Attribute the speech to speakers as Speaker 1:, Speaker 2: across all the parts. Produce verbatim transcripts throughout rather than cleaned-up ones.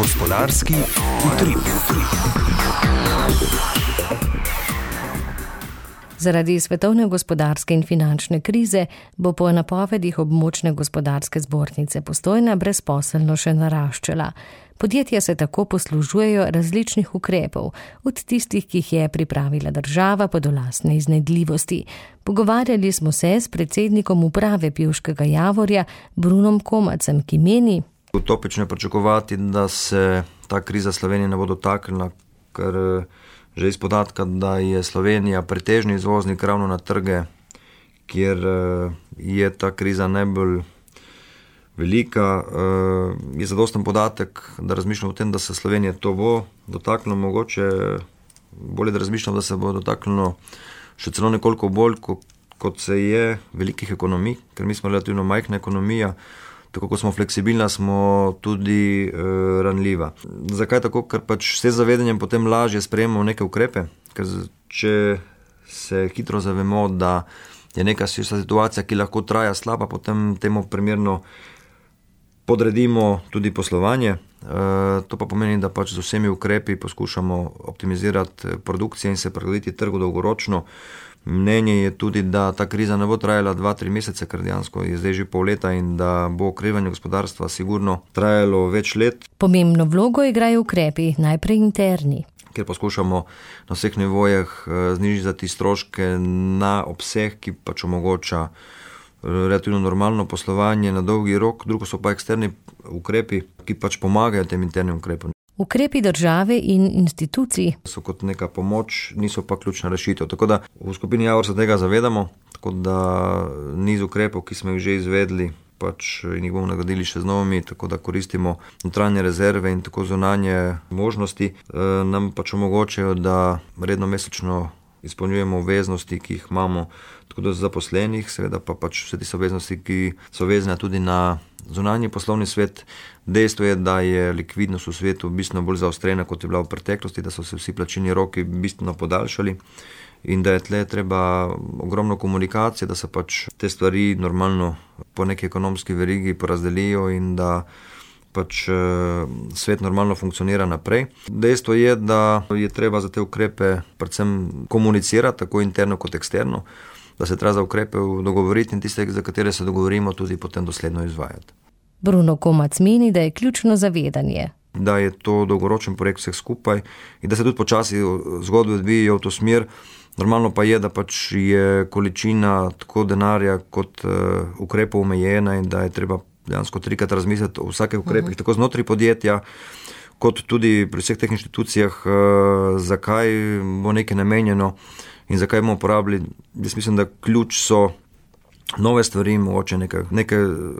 Speaker 1: Gospodarski utrip.
Speaker 2: Zaradi svetovne gospodarske in finančne krize bo po napovedih območne gospodarske zbornice Postojna brezposelnost še naraščala. Podjetja se tako poslužujejo različnih ukrepov, od tistih, ki jih je pripravila država pa do lastne iznajdljivosti. Pogovarjali smo se s predsednikom uprave Pivškega Javorja Brunom Komacem, ki meni:
Speaker 3: Utopično je pričakovati, da se ta kriza Slovenije ne bo dotaknila, ker že iz podatka, da je Slovenija pretežni izvoznik ravno na trge, kjer je ta kriza najbolj velika, je zadosten podatek, da razmišljamo o tem, da se Slovenije to bo dotaknilo, mogoče bolje, da razmišljamo, da se bo dotaknilo še celo nekoliko bolj, kot se je velikih ekonomij, ker mi smo relativno majhna ekonomija. Tako kot smo fleksibilna, smo tudi e, ranljiva. Zakaj tako? Ker pač vse zavedanjem potem lažje sprejemamo neke ukrepe, ker če se hitro zavemo, da je neka situacija, ki lahko traja slaba, potem temu primerno podredimo tudi poslovanje. E, to pa pomeni, da pač z vsemi ukrepi poskušamo optimizirati produkcijo in se prilagoditi trgu dolgoročno. Mnenje je tudi, da ta kriza ne bo trajala dva, tri mesece, ker dejansko je zdaj že pol leta in da bo okrevanje gospodarstva sigurno trajalo več let.
Speaker 2: Pomembno vlogo igrajo ukrepi, najprej interni.
Speaker 3: Ker poskušamo na vseh nivojih znižati stroške na obseg, ki pač omogoča relativno normalno poslovanje na dolgi rok, drugo so pa eksterni ukrepi, ki pač pomagajo tem internim ukrepom.
Speaker 2: Ukrepi države in institucij
Speaker 3: so kot neka pomoč, niso pa ključna rešitev. Tako da v skupini Javor se tega zavedamo, tako da niz ukrepov, ki smo jih že izvedli, pač in jih bomo nagradili še z novimi, tako da koristimo notranje rezerve in tako zunanje možnosti, nam pač omogočajo, da redno mesečno izpolnjujemo obveznosti, ki jih imamo tako do zaposlenih, seveda pa pač vse tiste obveznosti, ki so vezane tudi na zunanji poslovni svet. Dejstvo je, da je likvidnost v svetu bistveno bolj zaostrena, kot je bila v preteklosti, da so se vsi plačilni roki bistveno podaljšali in da je tle treba ogromno komunikacije, da se pač te stvari normalno po neki ekonomski verigi porazdelijo in da pač svet normalno funkcionira naprej. Dejstvo je, da je treba za te ukrepe predvsem komunicirati, tako interno kot eksterno, da se treba za ukrepe dogovoriti in tiste, za katere se dogovorimo, tudi potem dosledno izvajati.
Speaker 2: Bruno Komac meni, da je ključno zavedanje.
Speaker 3: Da je to dolgoročen projekt vseh skupaj in da se tudi počasi zgodbe odvijajo v to smer. Normalno pa je, da pač je količina tako denarja kot uh, ukrepov omejena in da je treba dejansko trikrat razmisliti o vsakih ukrepih, uh-huh. tako znotraj podjetja, kot tudi pri vseh teh inštitucijah, uh, zakaj bo nekaj namenjeno in zakaj bomo uporabili. Jaz mislim, da ključ so nove stvari, mogoče neke, neke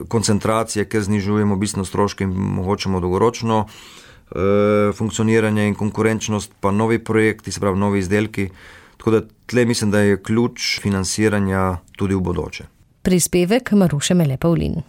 Speaker 3: koncentracije, ker znižujemo bistveno stroške in mogočemo dolgoročno e, funkcioniranje in konkurenčnost, pa novi projekti, se pravi novi izdelki. Tako da tle mislim, da je ključ financiranja tudi v bodoče.
Speaker 2: Prispevek Maruše Mele Pavlin.